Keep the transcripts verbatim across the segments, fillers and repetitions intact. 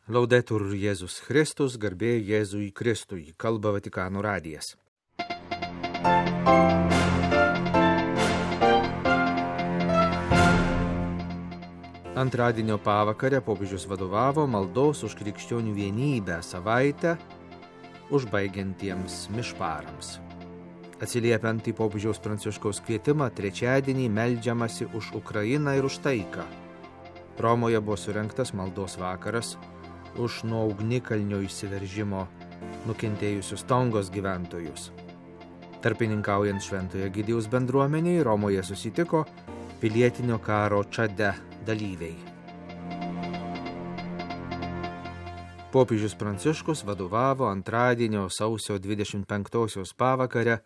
Laudetur Jėzus Kristus, garbė Jėzui Kristui, kalba Vatikano radijas. Antradienio pavakarę popiežius vadovavo maldos už krikščionių vienybę savaitę užbaigiantiems mišparams. Atsiliepiant į popiežiaus Pranciškaus kvietimą, trečiadienį meldžiamasi už Ukrainą ir už taiką. Romoje buvo surengtas maldos vakaras už nuo ugnikalnio išsiveržimo nukentėjusius Tongos gyventojus. Tarpininkaujant Šventojo Egidijaus bendruomeniai, Romoje susitiko pilietinio karo Čade dalyviai. Popiežius Pranciškus vadovavo antradienio sausio dvidešimt penktosios pavakarę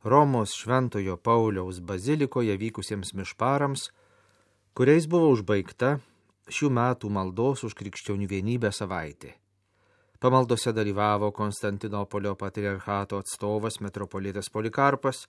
Romos Šventojo Pauliaus bazilikoje vykusiems mišparams, kuriais buvo užbaigta šių metų maldos už krikščionių vienybę savaitė. Pamaldose dalyvavo Konstantinopolio patriarchato atstovas metropolitas Polikarpas,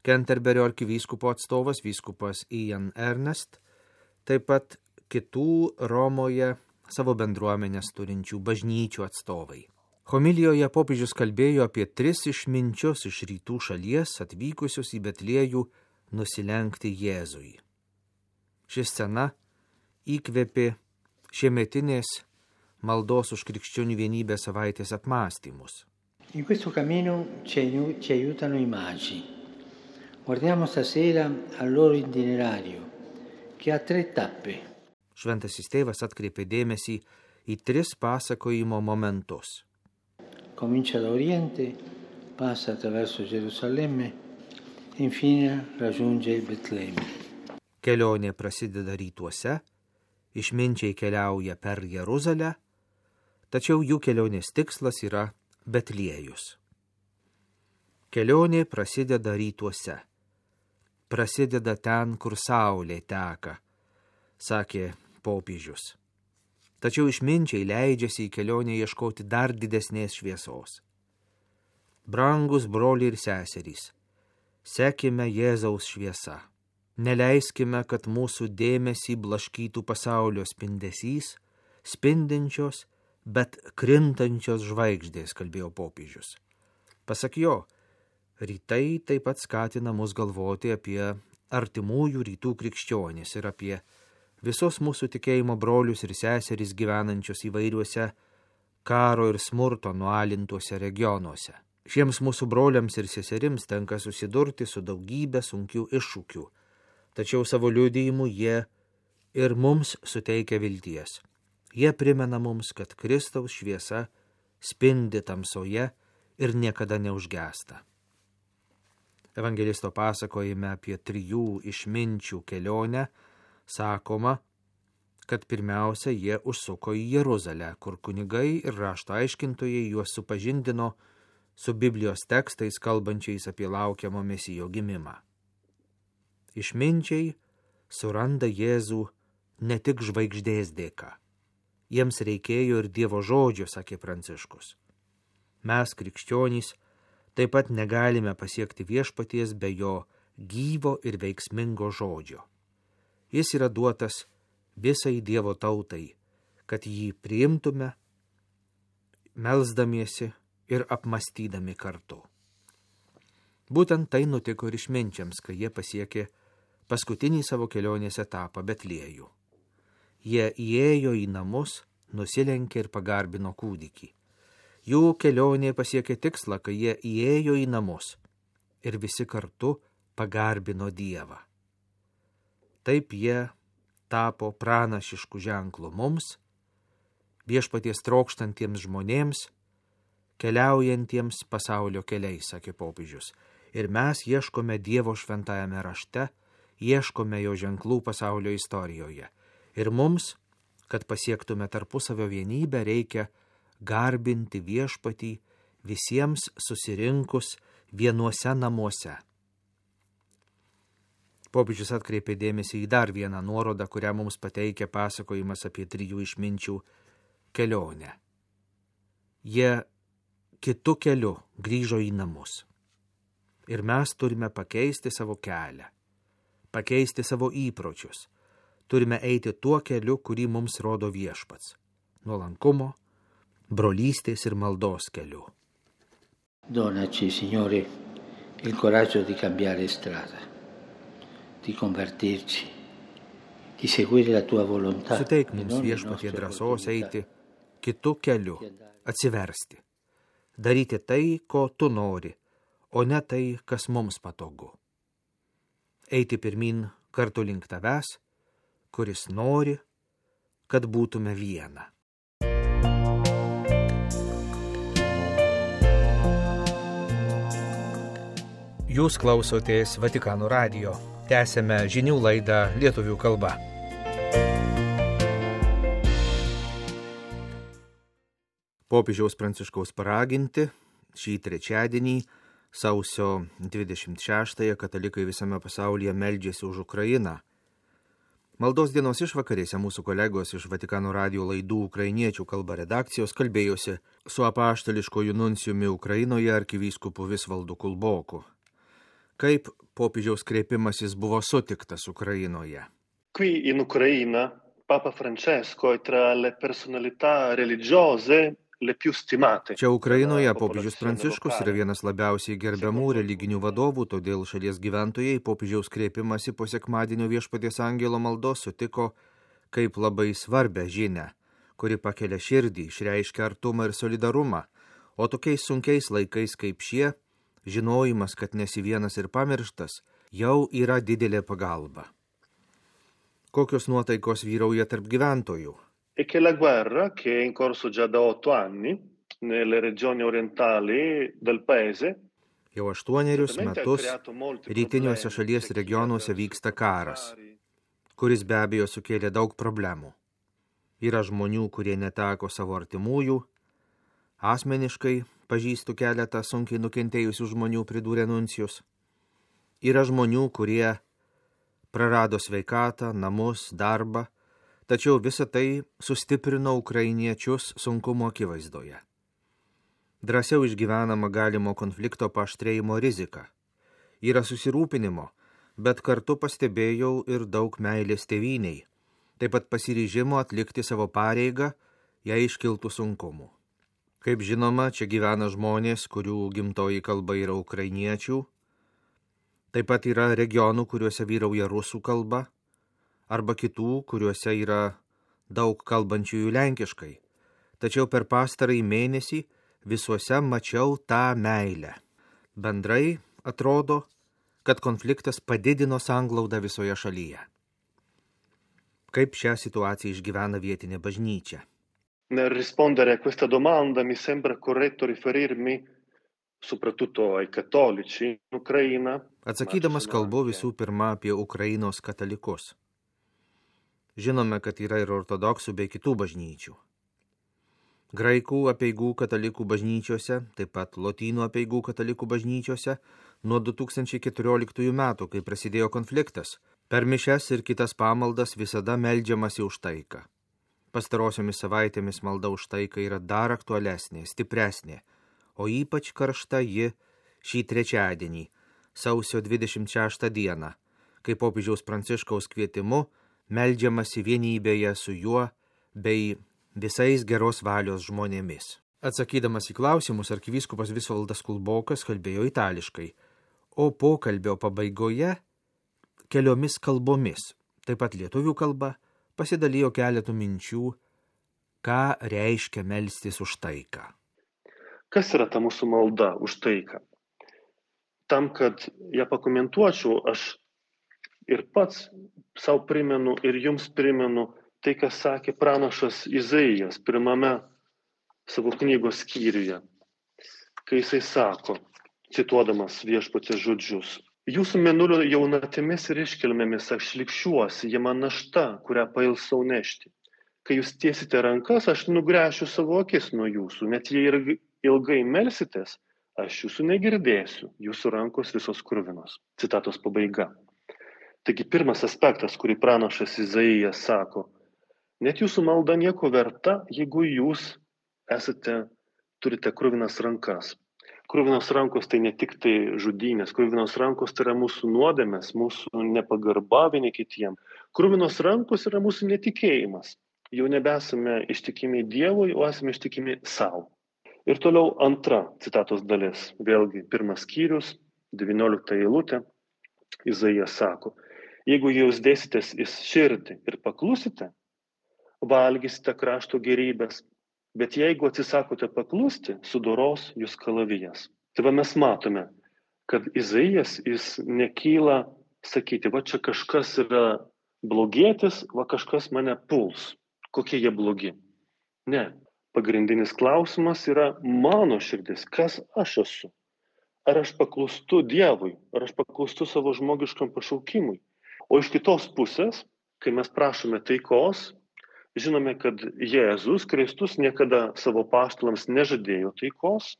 Kenterberio arkivyskupo atstovas vyskupas Ian Ernest, taip pat kitų Romoje savo bendruomenės turinčių bažnyčių atstovai. Homilijoje popiežius kalbėjo apie tris išminčius iš rytų šalies atvykusius į Betliejų nusilenkti Jėzui. Ši scena įkvėpė šiemetinės maldos už krikščionių vienybę savaitės apmąstymus. In questo cammino ci aiutano i magi. Guardiamo stasera al loro itinerario, che ha tre tappe. Šventasis tėvas atkreipė dėmesį į tris pasakojimo momentus. Comincia da Oriente, passa attraverso Gerusalemme e infine raggiunge il Betlemme. Kelionė prasideda rytuose, išminčiai keliauja per Jeruzalę, tačiau jų kelionės tikslas yra Betliejus. Kelionė prasideda rytuose, prasideda ten, kur saulė teka, sakė popiežius. Tačiau išminčiai leidžiasi į kelionę ieškoti dar didesnės šviesos. Brangus broliai ir seserys, sekime Jėzaus šviesa. Neleiskime, kad mūsų dėmesį blaškytų pasaulio spindesys, spindinčios, bet krintančios žvaigždės, kalbėjo popiežius. Pasak jo, rytai taip pat skatina mus galvoti apie artimųjų rytų krikščionis ir apie visos mūsų tikėjimo brolius ir seserys gyvenančius įvairiuose karo ir smurto nualintuose regionuose. Šiems mūsų broliams ir seserims tenka susidurti su daugybė sunkių iššūkių, tačiau savo liudijimu jie ir mums suteikia vilties. Jie primena mums, kad Kristaus šviesa spindi tamsoje ir niekada neužgęsta. Evangelisto pasakojime apie trijų išminčių kelionę sakoma, kad pirmiausia jie užsuko į Jeruzalę, kur kunigai ir rašto aiškintojai juos supažindino su Biblijos tekstais kalbančiais apie laukiamo Mesijo gimimą. Išminčiai suranda Jėzų ne tik žvaigždės dėka. Jiems reikėjo ir Dievo žodžio, sakė Pranciškus. Mes, krikščionys, taip pat negalime pasiekti viešpaties be jo gyvo ir veiksmingo žodžio. Jis yra duotas visai Dievo tautai, kad jį priimtume, melsdamiesi ir apmąstydami kartu. Būtent tai nutiko ir išminčiams, kai jie pasiekė paskutinį savo kelionės etapą Betliejų. Jie įėjo į namus, nusilenkė ir pagarbino kūdikį. Jų kelionė pasiekė tikslą, kai jie įėjo į namus ir visi kartu pagarbino Dievą. Taip jie tapo pranašišku ženklu mums, viešpaties trokštantiems žmonėms, keliaujantiems pasaulio keliais, sakė popiežius. Ir mes ieškome Dievo šventajame rašte, ieškome jo ženklų pasaulio istorijoje. Ir mums, kad pasiektume tarpusavio vienybę, reikia garbinti viešpatį visiems susirinkus vienuose namuose. Popiežius atkreipė dėmesį į dar vieną nuorodą, kurią mums pateikia pasakojimas apie trijų išminčių kelionę. Jie kitu keliu grįžo į namus. Ir mes turime pakeisti savo kelią, pakeisti savo įpročius. Turime eiti tuo keliu, kurį mums rodo viešpats. Nuolankumo, brolystės ir maldos keliu. Donaci, Signore, il coraggio di cambiare strada, di convertirci, di seguire la tua volontà. Suteik mums Viešpatie drąsos eiti kitu keliu, atsiversti, daryti tai, ko tu nori, o ne tai, kas mums patogu. Eiti pirmin kartu link tavęs, kuris nori, kad būtume viena. Jūs klausotės Vatikano radijo. Tęsėme žinių laidą lietuvių kalba. Popiežiaus Pranciškaus paraginti šį trečiadienį, sausio dvidešimt šeštąją, katalikai visame pasaulyje meldžiasi už Ukrainą. Maldos dienos išvakarėse mūsų kolegos iš Vatikano radijo laidų ukrainiečių kalba redakcijos kalbėjosi su apaštališkoju nuncijumi Ukrainoje arkivyskupu Visvaldu Kulboku. Kaip popiežiaus kreipimasis buvo sutiktas Ukrainoje? Qui in Ucraina, Papa Francesco è tra le personalità religiose le più stimate. Čia Ukrainoje popiežius Pranciškus yra vienas labiausiai gerbiamų religinių vadovų, todėl šalies gyventojai popiežiaus kreipimąsi po sekmadienio Viešpaties angelo maldos sutiko kaip labai svarbią žinią, kuri pakelia širdį, išreiškia artumą ir solidarumą, o tokiais sunkiais laikais kaip šie, žinojimas, kad nesi vienas ir pamirštas, jau yra didelė pagalba. Kokios nuotaikos vyrauja tarp gyventojų? E che la guerra, che è in corso già da otto anni nelle regioni orientali del paese, jau aštuonerius metus rytiniuose šalies regionuose vyksta karas, kuris be abejo sukėlė daug problemų. Yra žmonių, kurie neteko savo artimųjų, asmeniškai pažįstu keletą sunkiai nukentėjusių žmonių, pridūrė nuncijus. Yra žmonių, kurie prarado sveikatą, namus, darbą, tačiau visa tai sustiprino ukrainiečius sunkumo akivaizdoje. Drąsiau išgyvenama galimo konflikto paaštrėjimo rizika. Yra susirūpinimo, bet kartu pastebėjau ir daug meilės tėvyniai, taip pat pasiryžimo atlikti savo pareigą, jei iškiltų sunkumų. Kaip žinoma, čia gyvena žmonės, kurių gimtoji kalba yra ukrainiečių, taip pat yra regionų, kuriuose vyrauja rusų kalba, arba kitų, kuriuose yra daug kalbančiųjų lenkiškai. Tačiau per pastarąjį mėnesį visuose mačiau tą meilę. Bendrai atrodo, kad konfliktas padidino sanglaudą visoje šalyje. Kaip šią situaciją išgyvena vietinė bažnyčia? Nel rispondere a questa domanda mi sembra corretto riferirmi soprattutto ai cattolici in Ucraina. Atsakydamas kalbu visų pirma apie Ukrainos katalikus. Žinome, kad yra ir ortodoksų bei kitų bažnyčių. Graikų apeigų katalikų bažnyčiose, taip pat lotynų apeigų katalikų bažnyčiose nuo du tūkstančiai keturioliktųjų metų, kai prasidėjo konfliktas, per mišias ir kitas pamaldas visada meldžiamasi už taiką. Pastarosiomis savaitėmis malda už taiką yra dar aktualesnė, stipresnė, o ypač karšta ji šį trečiadienį, sausio dvidešimt šeštą dieną, kai popiežiaus Pranciškaus kvietimu meldžiamasi vienybėje su juo bei visais geros valios žmonėmis. Atsakydamas į klausimus, arkivyskupas Visvaldas Kulbokas kalbėjo itališkai, o pokalbio pabaigoje keliomis kalbomis, taip pat lietuvių kalba, pasidalijo keletų minčių, ką reiškia melstis už taiką. Kas yra ta mūsų malda už taiką? Tam, kad ją pakomentuočiau, aš ir pats savo primenu ir jums primenu tai, kas sakė pranašas Izaijas pirmame savo knygos skyriuje, kai jisai sako, cituodamas Viešpaties žodžius: Jūsų mėnulio jaunatėmis ir iškilmėmis aš likščiuosi, jie man našta, kurią pailsau nešti. Kai jūs tiesite rankas, aš nugręšiu savo akis nuo jūsų, net jei ir ilgai melsitės, aš jūsų negirdėsiu, jūsų rankos visos kruvinos. Citatos pabaiga. Taigi pirmas aspektas, kurį pranašas Izaijas sako, net jūsų malda nieko verta, jeigu jūs esate, turite kruvinas rankas. Kruvinos rankos tai ne tik tai žudynės, kruvinos rankos tai yra mūsų nuodėmės, mūsų nepagarba vieni kitiem. Kruvinos rankos yra mūsų netikėjimas. jau nebesame ištikimi Dievui, o esame ištikimi savo. Ir toliau antra citatos dalis, vėlgi pirmas skyrius, devyniolikta eilutė, Izaijas sako, jeigu jūs dėsitės į širdį ir paklusite, valgysite krašto gerybės, bet jeigu atsisakote paklusti, sudoros jūs kalavijas. Tai va mes matome, kad Izaijas jis nekyla sakyti, va čia kažkas yra blogietis, va kažkas mane puls. Kokie jie blogi? Ne. Pagrindinis klausimas yra mano širdis, kas aš esu. Ar aš paklūstu Dievui, ar aš paklūstu savo žmogiškam pašaukimui. O iš kitos pusės, kai mes prašome taikos, žinome, kad Jėzus Kristus niekada savo apaštalams nežadėjo taikos,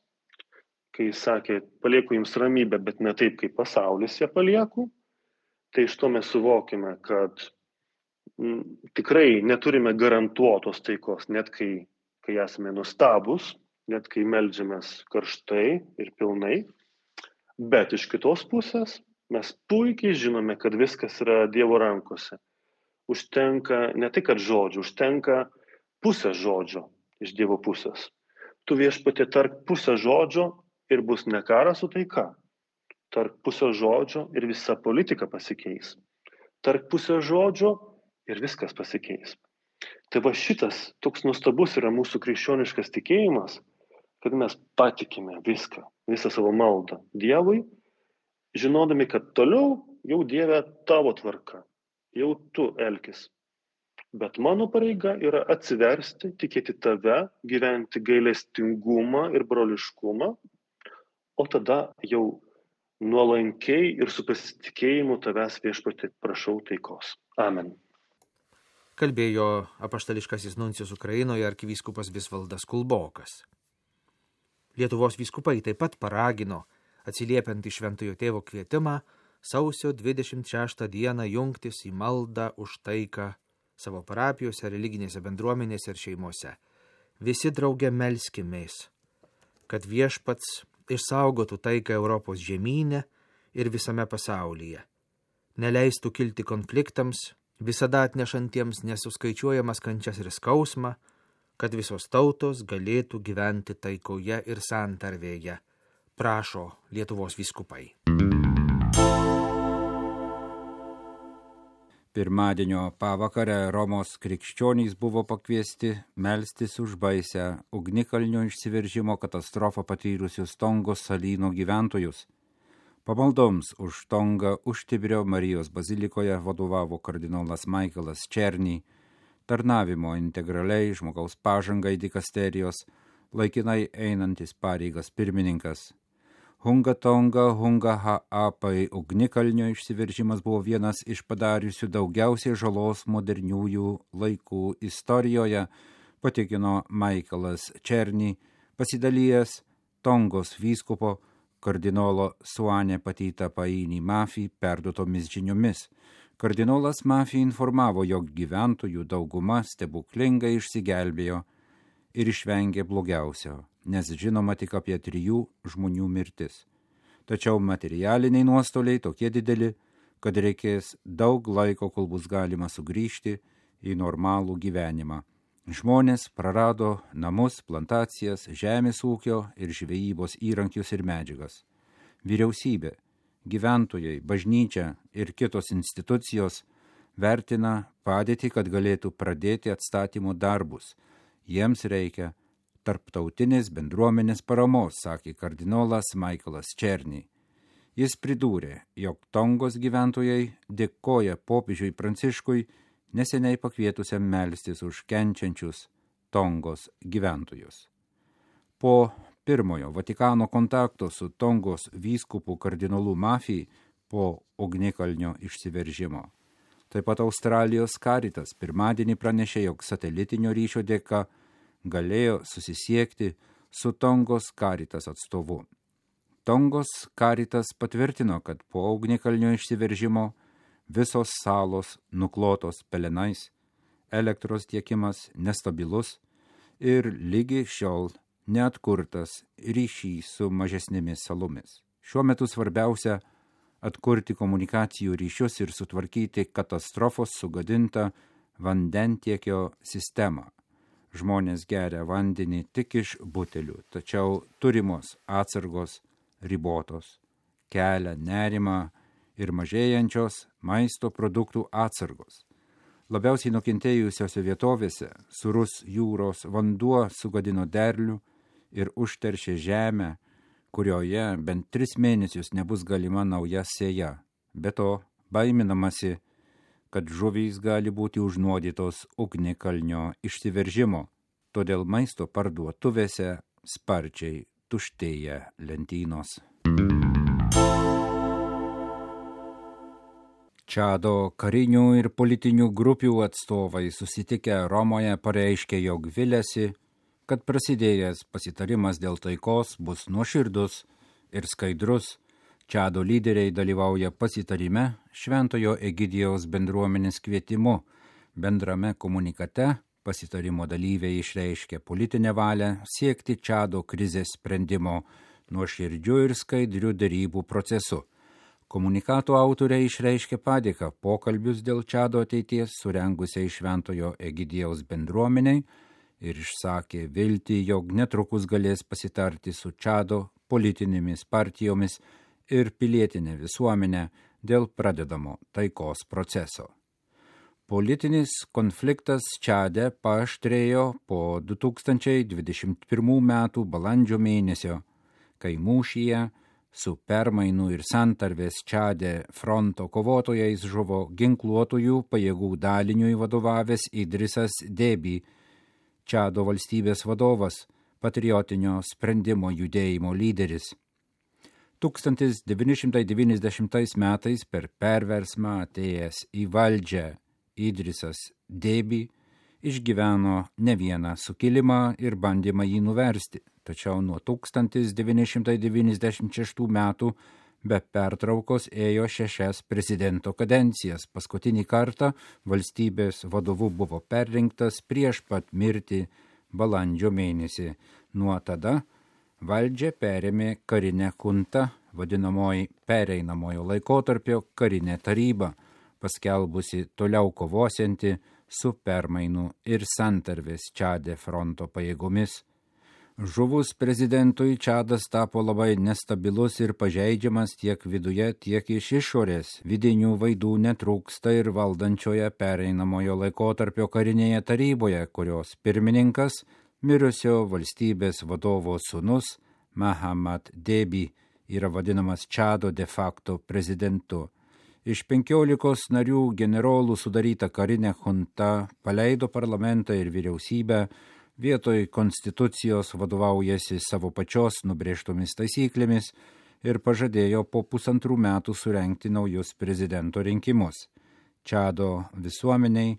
kai jis sakė, palieku jums ramybę, bet ne taip, kaip pasaulis ją palieku. Tai iš to mes suvokime, kad m, tikrai neturime garantuotos taikos, net kai, kai esame nustabus, net kai meldžiamės karštai ir pilnai. Bet iš kitos pusės mes puikiai žinome, kad viskas yra Dievo rankose. Užtenka ne tik kad žodžių, užtenka pusę žodžio iš Dievo pusės. Tu viešpatie tark pusę žodžio ir bus ne karas, o taika. Tark pusę žodžio ir visa politika pasikeis. Tark pusę žodžio ir viskas pasikeis. Tai va šitas toks nuostabus yra mūsų krikščioniškas tikėjimas, kad mes patikime viską, visą savo maldą Dievui, žinodami, kad toliau jau Dieve tavo tvarka, jau tu elkis. Bet mano pareiga yra atsiversti, tikėti tave, gyventi gailestingumą ir broliškumą, o tada jau nuolankiai ir su pasitikėjimu tavęs viešpatie prašau taikos. Amen. Kalbėjo apaštališkasis nuncijus Ukrainoje arkivyskupas Visvaldas Kulbokas. Lietuvos vyskupai taip pat paragino, atsiliepiant į Šventojo Tėvo kvietimą, sausio dvidešimt šeštą dieną jungtis į maldą už taiką savo parapijose, religinėse bendruomenėse ir šeimose. Visi drauge melskimės, kad viešpats išsaugotų taiką Europos žemyne ir visame pasaulyje. Neleistų kilti konfliktams, visada atnešantiems nesuskaičiuojamas kančias ir skausmą, kad visos tautos galėtų gyventi taikoje ir santarvėje, prašo Lietuvos vyskupai. Pirmadienio pavakarę Romos krikščionys buvo pakviesti melstis už baisę ugnikalnio išsiveržimo katastrofą patyrusius Tongos salyno gyventojus. Pamaldoms už Tongą už Tiberio Marijos bazilikoje vadovavo kardinolas Michaelas Černy, tarnavimo integraliai žmogaus pažangai dikasterijos, laikinai einantis pareigas pirmininkas. Hunga Tonga Hunga Ha'apai ugnikalnio išsiveržimas buvo vienas iš padariusių daugiausiai žalos moderniųjų laikų istorijoje, patikino Michaelas Černy, pasidalijęs Tongos vyskupo kardinolo Suane Patita Paini Mafi perduotomis žiniomis. Kardinolas Mafi informavo, jog gyventojų dauguma stebuklingai išsigelbėjo ir išvengė blogiausio, nes žinoma tik apie trijų žmonių mirtis. Tačiau materialiniai nuostoliai tokie dideli, kad reikės daug laiko, kol bus galima sugrįžti į normalų gyvenimą. Žmonės prarado namus, plantacijas, žemės ūkio ir žvejybos įrankius ir medžiagas. Vyriausybė, gyventojai, bažnyčia ir kitos institucijos vertina padėtį, kad galėtų pradėti atstatymo darbus. Jiems reikia tarptautinės bendruomenės paramos, sakė kardinolas Michaelas Černy. Jis pridūrė, jog Tongos gyventojai dėkoja popiežiui Pranciškui neseniai pakvietusiam melstis už kenčiančius Tongos gyventojus. Po pirmojo Vatikano kontakto su Tongos vyskupu kardinolu Mafi po ugnikalnio išsiveržimo. Taip pat Australijos Caritas pirmadienį pranešė, jog satelitinio ryšio dėka galėjo susisiekti su Tongos Caritas atstovu. Tongos Caritas patvirtino, kad po ugnikalnio išsiveržimo visos salos nuklotos pelenais, elektros tiekimas nestabilus ir lygi šiol neatkurtas ryšys su mažesnėmis salomis. Šiuo metu svarbiausia atkurti komunikacijų ryšius ir sutvarkyti katastrofos sugadintą vandentiekio sistemą. Žmonės geria vandenį tik iš butelių, tačiau turimos atsargos ribotos, kelia nerimą ir mažėjančios maisto produktų atsargos. Labiausiai nukentėjusiose vietovėse sūrus jūros vanduo sugadino derlių ir užteršė žemę, kurioje bent tris mėnesius nebus galima nauja sėja. Be to, baiminamasi, kad žuvys gali būti užnuodytos ugnikalnio išsiveržimo, todėl maisto parduotuvėse sparčiai tuštėja lentynos. Čado karinių ir politinių grupių atstovai susitikę Romoje pareiškė, jog viliasi, kad prasidėjęs pasitarimas dėl taikos bus nuoširdus ir skaidrus. Čado lyderiai dalyvauja pasitarime Šventojo Egidijaus bendruomenės kvietimu. Bendrame komunikate pasitarimo dalyviai išreiškė politinę valią siekti Čado krizės sprendimo nuoširdžių ir skaidrių derybų procesu. Komunikato autoriai išreiškė padėką pokalbius dėl Čado ateities surengusiai Šventojo Egidijaus bendruomeniai ir išsakė viltį, jog netrukus galės pasitarti su Čado politinėmis partijomis ir pilietinė visuomenė dėl pradedamo taikos proceso. Politinis konfliktas Čade paaštrėjo po du tūkstančiai dvidešimt pirmų metų balandžio mėnesio, kai mūšyje su permainų ir santarvės Čade fronto kovotojais žuvo ginkluotųjų pajėgų daliniui vadovavęs Idrisas Debi, Čado valstybės vadovas, patriotinio sprendimo judėjimo lyderis. tūkstantis devyni šimtai devyniasdešimtais metais per perversmą atėjęs į valdžią Idrisas Debi išgyveno ne vieną sukilimą ir bandymą jį nuversti, tačiau nuo tūkstantis devyni šimtai devyniasdešimt šeštų metų be pertraukos ėjo šešias prezidento kadencijas. Paskutinį kartą valstybės vadovu buvo perrinktas prieš pat mirtį balandžio mėnesį. Nuo tada valdžią perėmė karinė chunta, vadinamoji pereinamojo laikotarpio karinė taryba, paskelbusi toliau kovosianti su permainų ir santarvės Čade fronto pajėgomis. Žuvus prezidentui Čadas tapo labai nestabilus ir pažeidžiamas tiek viduje, tiek iš išorės. Vidinių vaidų netrūksta ir valdančioje pereinamojo laikotarpio karinėje taryboje, kurios pirmininkas mirusio valstybės vadovo sūnus Mahamat Debi yra vadinamas Čado de facto prezidentu. Iš penkiolikos narių generolų sudaryta karinė chunta paleido parlamentą ir vyriausybę, vietoj konstitucijos vadovaujasi savo pačios nubrėžtomis taisyklėmis ir pažadėjo po pusantrų metų surengti naujus prezidento rinkimus. Čado visuomeniai,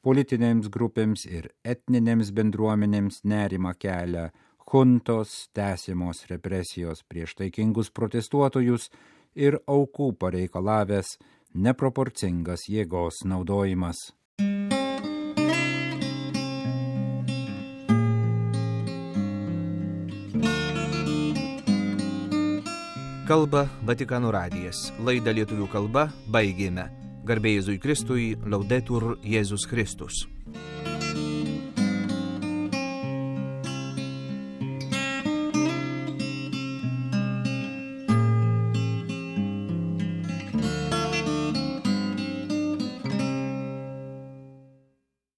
politinėms grupėms ir etninėms bendruomenėms nerimą kelia chuntos tęsiamos represijos prieš taikingus protestuotojus ir aukų pareikalavęs neproporcingas jėgos naudojimas. Kalba Vatikano radijas. Laidą lietuvių kalba baigėme. Garbė Jėzui Kristui, Laudetur Jėzus Kristus.